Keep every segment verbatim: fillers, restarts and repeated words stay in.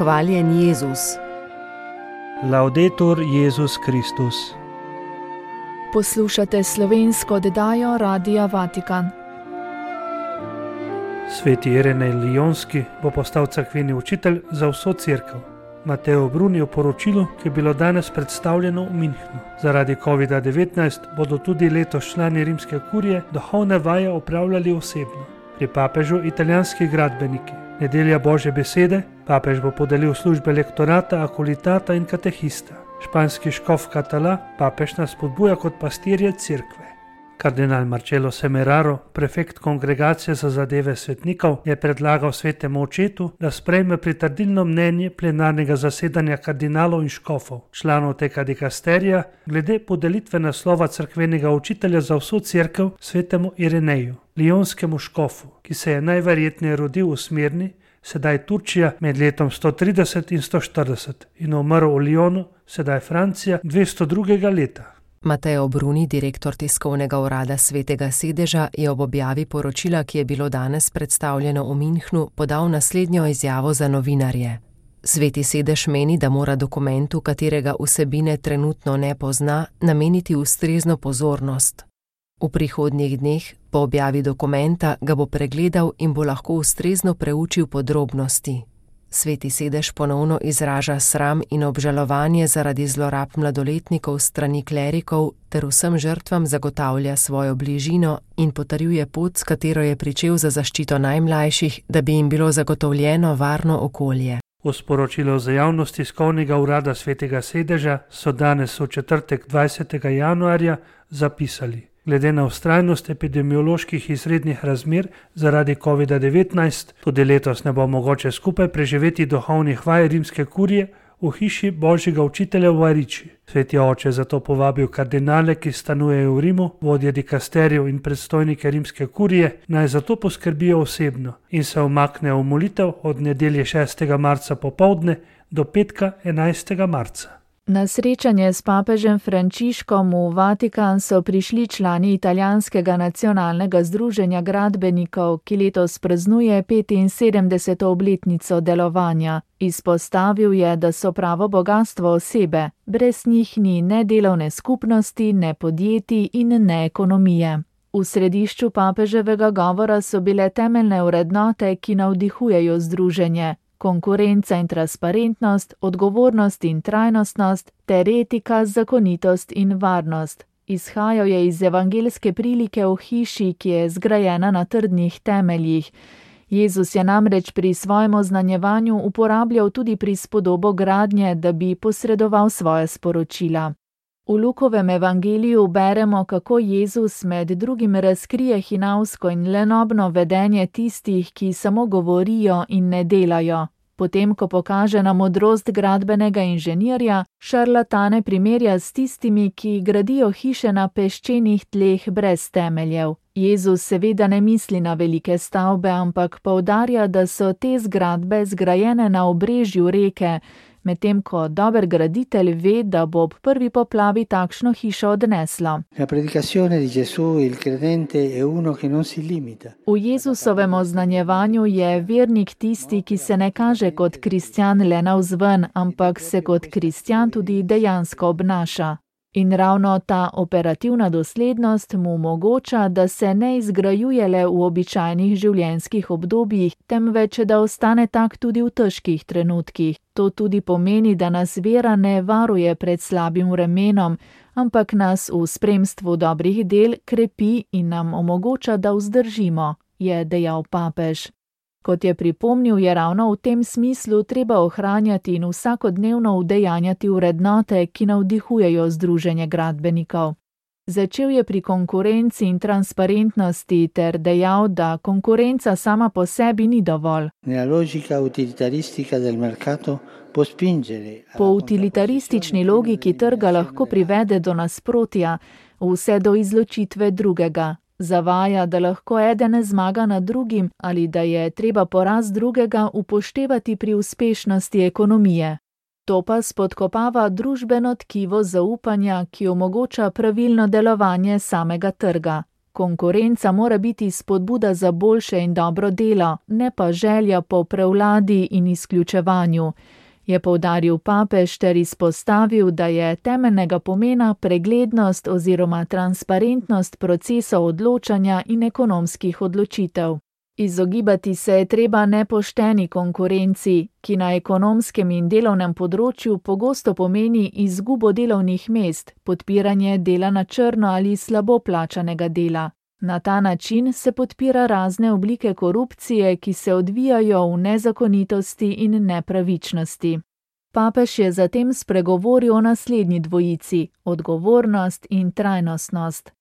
Hvaljen Jezus. Laudetur Jezus Kristus. Poslušate slovensko oddajo Radia Vatikan. Sveti Irenej Lijonski bo postal cerkveni učitelj za vso cerkev. Mateo Bruni v poročilu, ki je bilo danes predstavljeno v Minhnu. Zaradi kovida devetnajst bodo tudi letos člani rimske kurije duhovne vaje opravljali osebno. Pri papežu italijanski gradbeniki. Nedelja Božje besede, papež bo podelil službe lektorata, akolitata in katehista. Španski škof Katala, papež nas spodbuja kot pastirje cerkve. Kardinal Marcello Semeraro, prefekt kongregacije za zadeve svetnikov, je predlagal svetemu očetu, da sprejme pritrdilno mnenje plenarnega zasedanja kardinalov in škofov, članov tega dikasterija, glede podelitve naslova cerkvenega učitelja za vso cerkev svetemu Ireneju, lijonskemu škofu, ki se je najverjetneje rodil v Smirni, sedaj Turčija med letom sto trideset in sto štirideset in umrl v Lijonu, sedaj Francija, dvesto drugega leta. Mateo Bruni, direktor tiskovnega urada Svetega sedeža, je ob objavi poročila, ki je bilo danes predstavljeno v Minhnu, podal naslednjo izjavo za novinarje. Sveti sedež meni, da mora dokumentu, katerega vsebine trenutno ne pozna, nameniti ustrezno pozornost. V prihodnjih dneh, po objavi dokumenta, ga bo pregledal in bo lahko ustrezno preučil podrobnosti. Sveti sedež ponovno izraža sram in obžalovanje zaradi zlorab mladoletnikov strani klerikov ter vsem žrtvam zagotavlja svojo bližino in potrjuje pot, s katero je pričel za zaščito najmlajših, da bi jim bilo zagotovljeno varno okolje. V sporočilu za javnost tiskovnega urada Svetega sedeža so danes v četrtek dvajsetega januarja zapisali: glede na vztrajnost epidemioloških izrednih razmer zaradi kovida devetnajst, tudi letos ne bo mogoče skupaj preživeti duhovnih vaj rimske kurije v hiši Božjega učitelja v Ariči. Sveti oče zato povabil kardinale, ki stanujejo v Rimu, vodje dikasterjev in predstojnike rimske kurije, naj zato poskrbijo osebno in se umaknejo v molitev od nedelje šestega marca popoldne do petka enajstega marca. Na srečanje s papežem Frančiškom v Vatikan so prišli člani italijanskega nacionalnega združenja gradbenikov, ki letos praznuje petinsedemdeseto obletnico delovanja. Izpostavil je, da so pravo bogastvo osebe, brez njih ni ne delovne skupnosti, ne podjetij in ne ekonomije. V središču papeževega govora so bile temeljne vrednote, ki navdihujejo združenje. Konkurenca in transparentnost, odgovornost in trajnostnost, ter etika, zakonitost in varnost. Izhajal je iz evangeljske prilike v hiši, ki je zgrajena na trdnih temeljih. Jezus je namreč pri svojem oznanjevanju uporabljal tudi prispodobo gradnje, da bi posredoval svoje sporočila. V Lukovem evangeliju beremo, kako Jezus med drugim razkrije hinavsko in lenobno vedenje tistih, ki samo govorijo in ne delajo. Potem, ko pokaže na modrost gradbenega inženirja, šarlatane primerja s tistimi, ki gradijo hiše na peščenih tleh brez temeljev. Jezus seveda ne misli na velike stavbe, ampak poudarja, da so te zgradbe zgrajene na obrežju reke, medtem ko dober graditelj ve, da bo ob prvi poplavi takšno hišo odneslo. V Jezusovem oznanjevanju je vernik tisti, ki se ne kaže kot kristjan le navzven, ampak se kot kristjan tudi dejansko obnaša. In ravno ta operativna doslednost mu omogoča, da se ne izgrajuje le v običajnih življenjskih obdobjih, temveč da ostane tak tudi v težkih trenutkih. To tudi pomeni, da nas vera ne varuje pred slabim vremenom, ampak nas v spremstvu dobrih del krepi in nam omogoča, da vzdržimo, je dejal papež. Kot je pripomnil, je ravno v tem smislu treba ohranjati in vsakodnevno udejanjati vrednote, ki navdihujejo združenje gradbenikov. Začel je pri konkurenci in transparentnosti ter dejal, da konkurenca sama po sebi ni dovolj. Po utilitaristični logiki trga lahko privede do nasprotja, vse do izločitve drugega. Zavaja, da lahko eden zmaga nad drugim ali da je treba poraz drugega upoštevati pri uspešnosti ekonomije. To pa spodkopava družbeno tkivo zaupanja, ki omogoča pravilno delovanje samega trga. Konkurenca mora biti spodbuda za boljše in dobro delo, ne pa želja po prevladi in izključevanju, je poudaril papež ter izpostavil, da je temeljnega pomena preglednost oziroma transparentnost procesov odločanja in ekonomskih odločitev. Izogibati se je treba nepošteni konkurenci, ki na ekonomskem in delovnem področju pogosto pomeni izgubo delovnih mest, podpiranje dela na črno ali slabo plačanega dela. Na ta način se podpira razne oblike korupcije, ki se odvijajo v nezakonitosti in nepravičnosti. Papež je zatem spregovoril o naslednji dvojici: odgovornost in trajnostnost.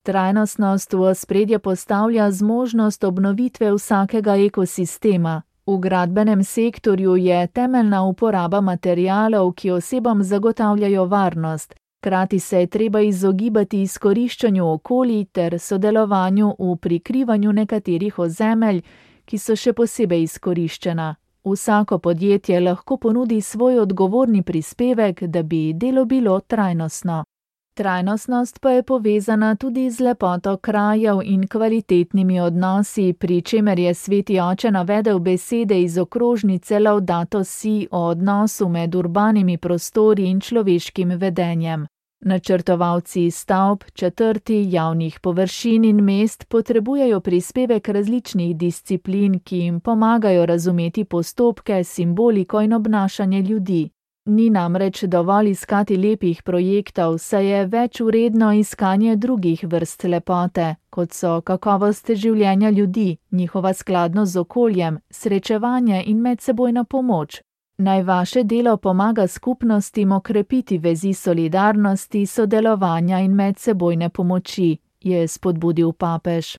Trajnostnost v ospredje postavlja zmožnost obnovitve vsakega ekosistema. V gradbenem sektorju je temeljna uporaba materialov, ki osebam zagotavljajo varnost. Hkrati se je treba izogibati izkoriščanju okolij ter sodelovanju v prikrivanju nekaterih ozemelj, ki so še posebej izkoriščena. Vsako podjetje lahko ponudi svoj odgovorni prispevek, da bi delo bilo trajnostno. Trajnostnost pa je povezana tudi z lepoto krajev in kvalitetnimi odnosi, pri čemer je sveti oče navedel besede iz okrožnice Laudato Si o odnosu med urbanimi prostori in človeškim vedenjem. Načrtovalci stavb, četrti, javnih površin in mest potrebujejo prispevek različnih disciplin, ki jim pomagajo razumeti postopke, simboliko in obnašanje ljudi. Ni namreč dovolj iskati lepih projektov, saj je več vredno iskanje drugih vrst lepote, kot so kakovost življenja ljudi, njihova skladnost z okoljem, srečevanje in medsebojna pomoč. Naj vaše delo pomaga skupnostim okrepiti vezi solidarnosti, sodelovanja in medsebojne pomoči, je spodbudil papež.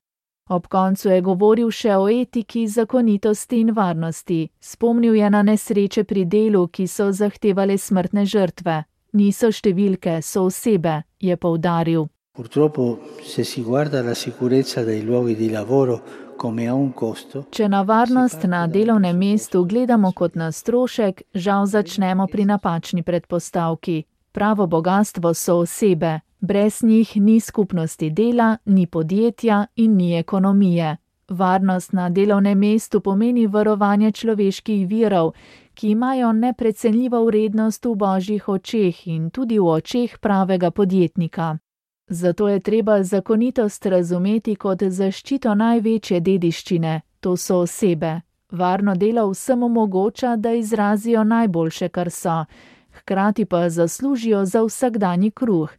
Ob koncu je govoril še o etiki, zakonitosti in varnosti. Spomnil je na nesreče pri delu, ki so zahtevale smrtne žrtve. Niso številke, so osebe, je poudaril. Purtroppo, se si guarda la sicurezza dei luoghi di lavoro come a un costo. Če na varnost na delovnem mestu gledamo kot na strošek, žal začnemo pri napačni predpostavki. Pravo bogastvo so osebe. Brez njih ni skupnosti dela, ni podjetja in ni ekonomije. Varnost na delovnem mestu pomeni varovanje človeških virov, ki imajo neprecenljivo vrednost v božjih očeh in tudi v očeh pravega podjetnika. Zato je treba zakonitost razumeti kot zaščito največje dediščine, to so osebe. Varno delo vsem omogoča, da izrazijo najboljše, kar so, hkrati pa zaslužijo za vsakdanji kruh.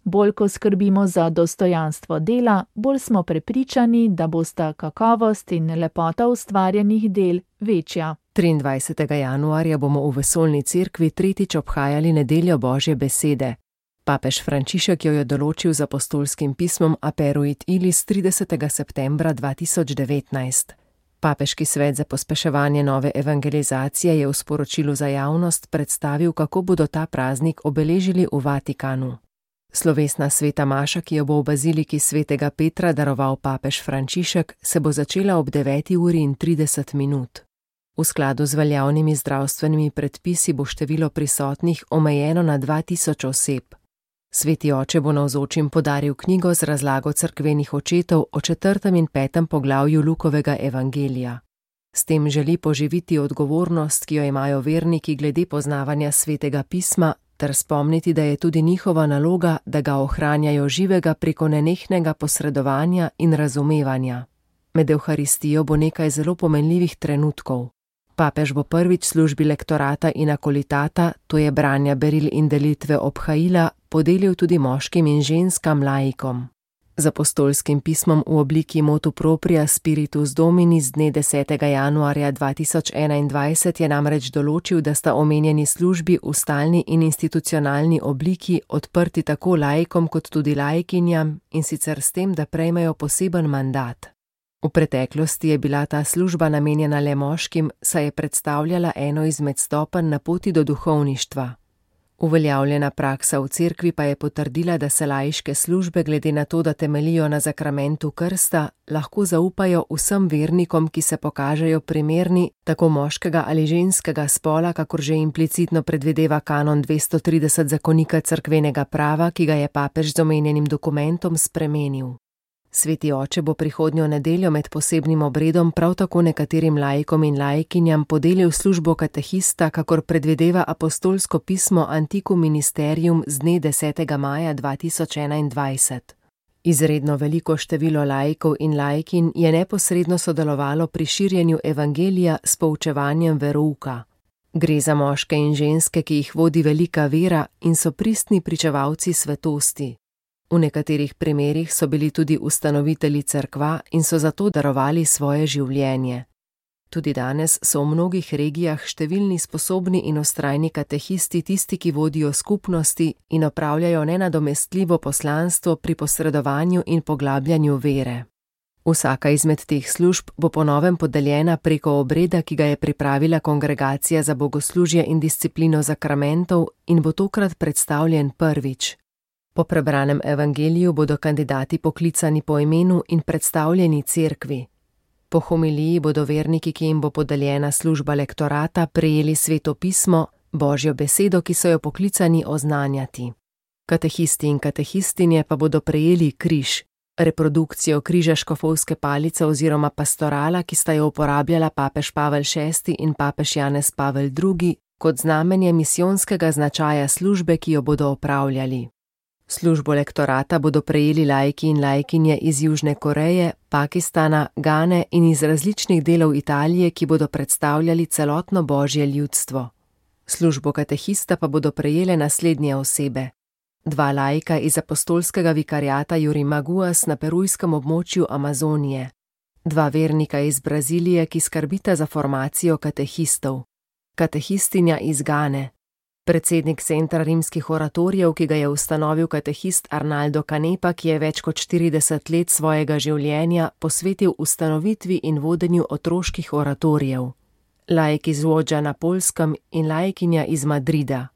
Bolj ko skrbimo za dostojanstvo dela, bolj smo prepričani, da bosta kakovost in lepota ustvarjenih del večja. triindvajsetega januarja bomo v Vesoljni cerkvi tretjič obhajali nedeljo Božje besede. Papež Frančišek jo je določil z apostolskim pismom Aperuit Ilis tridesetega septembra dva tisoč devetnajst. Papeški svet za pospeševanje nove evangelizacije je v sporočilu za javnost predstavil, kako bodo ta praznik obeležili v Vatikanu. Slovesna sveta maša, ki jo bo v baziliki svetega Petra daroval papež Frančišek, se bo začela ob deveti uri in trideset minut. V skladu z veljavnimi zdravstvenimi predpisi bo število prisotnih omejeno na dva tisoč oseb. Sveti oče bo navzočim podaril knjigo z razlago cerkvenih očetov o četrtem in petem poglavju Lukovega evangelija. S tem želi poživiti odgovornost, ki jo imajo verniki glede poznavanja svetega pisma, ter spomniti, da je tudi njihova naloga, da ga ohranjajo živega preko nenehnega posredovanja in razumevanja. Med evharistijo bo nekaj zelo pomenljivih trenutkov. Papež bo prvič službi lektorata in akolitata, to je branja beril in delitve obhajila, podelil tudi moškim in ženskam laikom. Z apostolskim pismom v obliki motu propria Spiritus Domini z dne desetega januarja dva tisoč enaindvajset je namreč določil, da sta omenjeni službi v stalni in institucionalni obliki odprti tako laikom kot tudi laikinjam, in sicer s tem, da prejmejo poseben mandat. V preteklosti je bila ta služba namenjena le moškim, saj je predstavljala eno izmed stopenj na poti do duhovništva. Uveljavljena praksa v cerkvi pa je potrdila, da se laiške službe glede na to, da temelijo na zakramentu krsta, lahko zaupajo vsem vernikom, ki se pokažejo primerni, tako moškega ali ženskega spola, kakor že implicitno predvideva kanon dvesto trideset zakonika cerkvenega prava, ki ga je papež z omenjenim dokumentom spremenil. Sveti oče bo prihodnjo nedeljo med posebnim obredom prav tako nekaterim laikom in laikinjam podelil službo katehista, kakor predvideva apostolsko pismo Antiquum Ministerium z dne desetega maja dva tisoč enaindvajset. Izredno veliko število laikov in laikinj je neposredno sodelovalo pri širjenju evangelija s poučevanjem verouka. Gre za moške in ženske, ki jih vodi velika vera in so pristni pričevalci svetosti. V nekaterih primerih so bili tudi ustanovitelji cerkva in so zato darovali svoje življenje. Tudi danes so v mnogih regijah številni sposobni in vztrajni katehisti tisti, ki vodijo skupnosti in opravljajo nenadomestljivo poslanstvo pri posredovanju in poglabljanju vere. Vsaka izmed teh služb bo po novem podeljena preko obreda, ki ga je pripravila Kongregacija za bogoslužje in disciplino zakramentov in bo tokrat predstavljen prvič. Po prebranem evangeliju bodo kandidati poklicani po imenu in predstavljeni cerkvi. Po homiliji bodo verniki, ki jim bo podeljena služba lektorata, prejeli sveto pismo, Božjo besedo, ki so jo poklicani oznanjati. Katehisti in katehistinje pa bodo prejeli križ, reprodukcijo križa škofovske palice oziroma pastorala, ki sta jo uporabljala papež Pavel šesti in papež Janez Pavel drugi, kot znamenje misijonskega značaja službe, ki jo bodo opravljali. Službo lektorata bodo prejeli laiki in laikinje iz Južne Koreje, Pakistana, Gane in iz različnih delov Italije, ki bodo predstavljali celotno Božje ljudstvo. Službo katehista pa bodo prejele naslednje osebe. Dva laika iz apostolskega vikariata Yurimaguas na perujskem območju Amazonije. Dva vernika iz Brazilije, ki skrbita za formacijo katehistov. Katehistinja iz Gane. Predsednik Centra rimskih oratorijev, ki ga je ustanovil katehist Arnaldo Canepa, ki je več kot štirideset let svojega življenja posvetil ustanovitvi in vodenju otroških oratorijev. Laik iz Łodža na Poljskem in laikinja iz Madrida.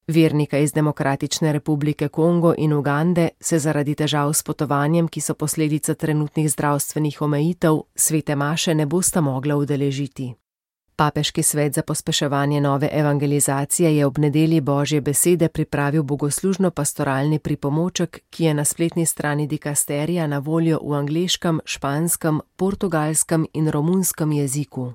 Vernika iz Demokratične republike Kongo in Ugande se zaradi težav s potovanjem, ki so posledica trenutnih zdravstvenih omejitev, svete maše ne bosta mogla udeležiti. Papeški svet za pospeševanje nove evangelizacije je ob nedelji Božje besede pripravil bogoslužno-pastoralni pripomoček, ki je na spletni strani dikasterija na voljo v angleškem, španskem, portugalskem in romunskem jeziku.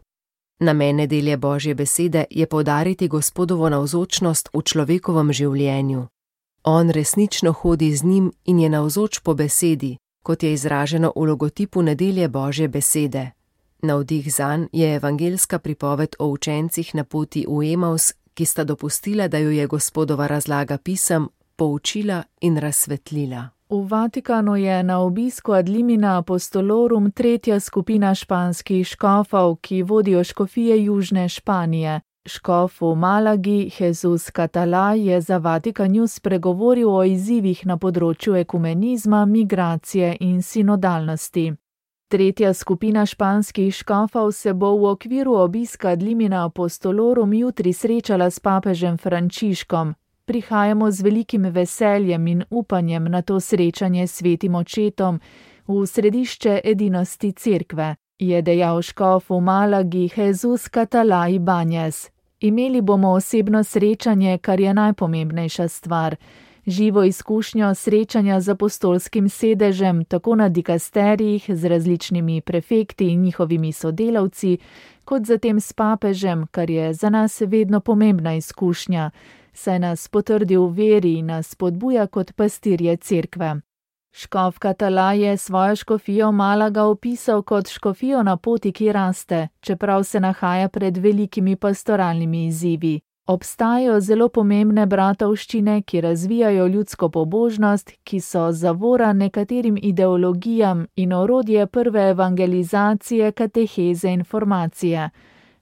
Namen nedelje Božje besede je poudariti Gospodovo navzočnost v človekovem življenju. On resnično hodi z njim in je navzoč po besedi, kot je izraženo v logotipu nedelje Božje besede. Navdih zanj je evangelska pripoved o učencih na poti v Emaus, ki sta dopustila, da jo je Gospodova razlaga pisem poučila in razsvetlila. V Vatikanu je na obisku ad limina apostolorum tretja skupina španskih škofov, ki vodijo škofije južne Španije. Škof v Malagi, Jesus Catalá, je za Vatikan News spregovoril o izzivih na področju ekumenizma, migracije in sinodalnosti. Tretja skupina španskih škofov se bo v okviru obiska ad limina apostolorum jutri srečala s papežem Frančiškom. Prihajamo z velikim veseljem in upanjem na to srečanje s svetim očetom v središče edinosti cerkve, je dejal škof v Malagi Jesus Catalá Ibáñez. Imeli bomo osebno srečanje, kar je najpomembnejša stvar. Živo izkušnjo srečanja z apostolskim sedežem, tako na dikasterijih z različnimi prefekti in njihovimi sodelavci, kot zatem s papežem, kar je za nas vedno pomembna izkušnja, saj nas potrdi v veri in nas spodbuja kot pastirje cerkve. Škof Catalá je svojo škofijo Malaga opisal kot škofijo na poti, ki raste, čeprav se nahaja pred velikimi pastoralnimi izzivi. Obstajajo zelo pomembne bratovščine, ki razvijajo ljudsko pobožnost, ki so zavora nekaterim ideologijam in orodje prve evangelizacije, kateheze in formacije.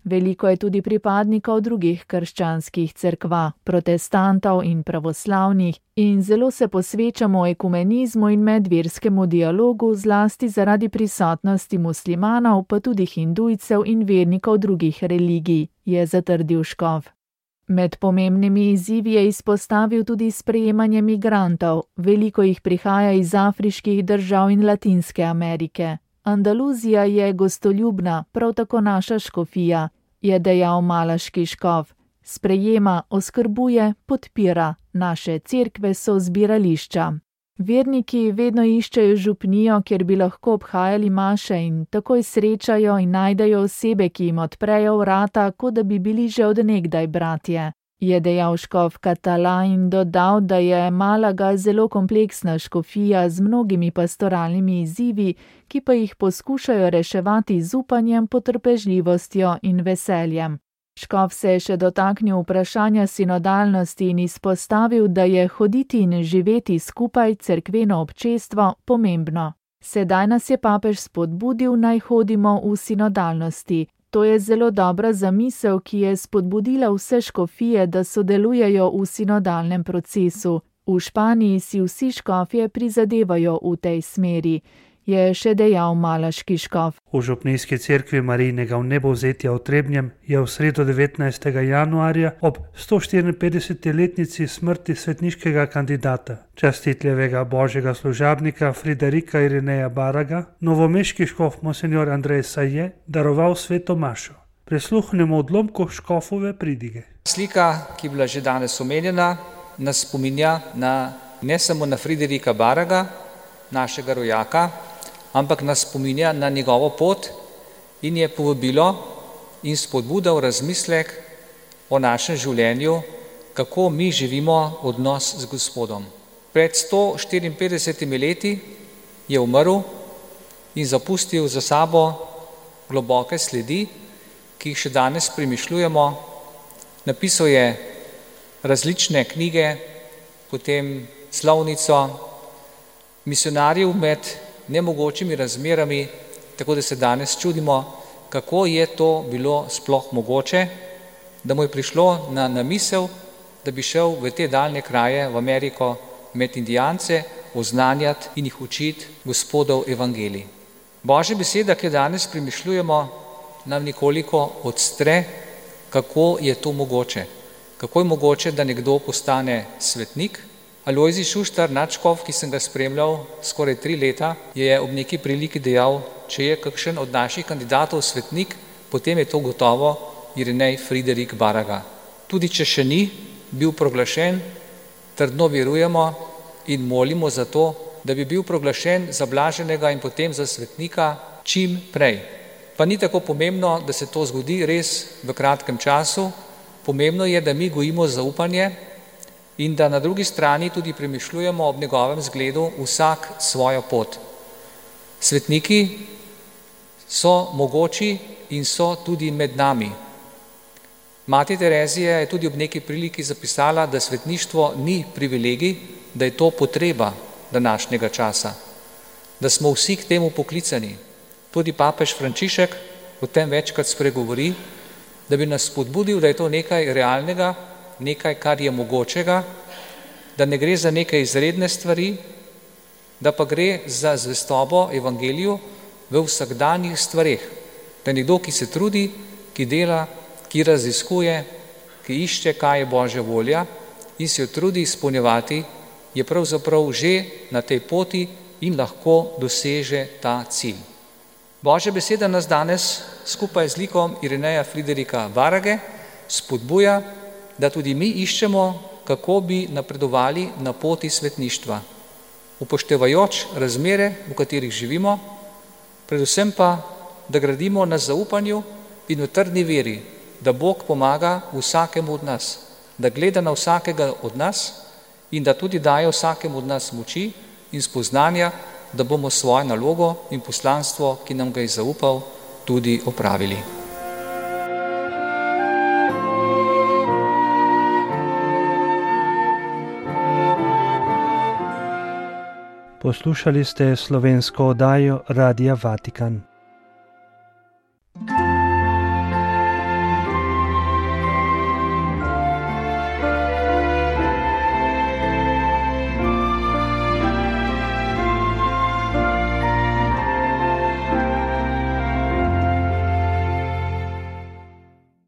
Veliko je tudi pripadnikov drugih krščanskih cerkva, protestantov in pravoslavnih, in zelo se posvečamo ekumenizmu in medverskemu dialogu, zlasti zaradi prisotnosti muslimanov, pa tudi hindujcev in vernikov drugih religij, je zatrdil škof. Med pomembnimi izzivi je izpostavil tudi sprejemanje migrantov, veliko jih prihaja iz afriških držav in Latinske Amerike. Andaluzija je gostoljubna, prav tako naša škofija, je dejal malaški škof. Sprejema, oskrbuje, podpira, naše cerkve so zbirališča. Verniki vedno iščejo župnijo, kjer bi lahko obhajali maše in takoj srečajo in najdejo osebe, ki jim odprejo vrata, kot da bi bili že od nekdaj bratje, je dejal škof Katala in dodal, da je Malaga zelo kompleksna škofija z mnogimi pastoralnimi izzivi, ki pa jih poskušajo reševati z upanjem, potrpežljivostjo in veseljem. Škof se je še dotaknil vprašanja sinodalnosti in izpostavil, da je hoditi in živeti skupaj cerkveno občestvo pomembno. Sedaj nas je papež spodbudil, naj hodimo v sinodalnosti. To je zelo dobra zamisel, ki je spodbudila vse škofije, da sodelujejo v sinodalnem procesu. V Španiji si vsi škofje prizadevajo v tej smeri, je še dejal malaški škof. V župnijski cerkvi Marijinega vnebovzetja v Trebnjem je v sredo devetnajstega januarja ob sto štiriinpetdeseti smrti svetniškega kandidata, častitljevega božjega služabnika Friderika Irineja Baraga, novomeški škof monsenjor Andrej Saje daroval sveto mašo. Prisluhnemo odlomku škofove pridige. Slika, ki je bila že danes omenjena, nas spominja na, ne samo na Friderika Baraga, našega rojaka, ampak nas spominja na njegovo pot in je povabilo in spodbuda v razmislek o našem življenju, kako mi živimo odnos z Gospodom. Pred sto štiriinpetdesetimi leti je umrl in zapustil za sabo globoke sledi, ki jih še danes premišljujemo. Napisal je različne knjige, potem slovnico, misionarjev med nemogočimi razmerami, tako da se danes čudimo, kako je to bilo sploh mogoče, da mu je prišlo na, na misel, da bi šel v te daljne kraje, v Ameriko, med Indijance, oznanjati in jih učiti Gospodov evangelij. Božja beseda, ki jo danes premišljujemo, nam nekoliko odstre, kako je to mogoče. Kako je mogoče, da nekdo postane svetnik. Alojzij Šuštar, nadškof, ki sem ga spremljal skoraj tri leta, je ob neki priliki dejal, če je kakšen od naših kandidatov svetnik, potem je to gotovo Irinej Friderik Baraga. Tudi če še ni bil proglašen, trdno verujemo in molimo za to, da bi bil proglašen za blaženega in potem za svetnika čim prej. Pa ni tako pomembno, da se to zgodi res v kratkem času, pomembno je, da mi gojimo zaupanje in da na drugi strani tudi premišljujemo ob njegovem zgledu vsak svojo pot. Svetniki so mogoči in so tudi med nami. Mati Terezija je tudi ob neki priliki zapisala, da svetništvo ni privilegij, da je to potreba današnjega časa, da smo vsi k temu poklicani. Tudi papež Frančišek o tem večkrat spregovori, da bi nas spodbudil, da je to nekaj realnega, nekaj, kar je mogočega, da ne gre za neke izredne stvari, da pa gre za zvestobo evangeliju v vsakdanjih stvareh. Da je nekdo, ki se trudi, ki dela, ki raziskuje, ki išče, kaj je Božja volja in se jo trudi izpolnjevati, je pravzaprav že na tej poti in lahko doseže ta cilj. Božja beseda nas danes skupaj z likom Irineja Friderika Barage spodbuja, da tudi mi iščemo, kako bi napredovali na poti svetništva, upoštevajoč razmere, v katerih živimo, predvsem pa, da gradimo na zaupanju in v trdni veri, da Bog pomaga vsakemu od nas, da gleda na vsakega od nas in da tudi daje vsakemu od nas moči in spoznanja, da bomo svojo nalogo in poslanstvo, ki nam ga je zaupal, tudi opravili. Poslušali ste slovensko oddajo Radia Vatikan.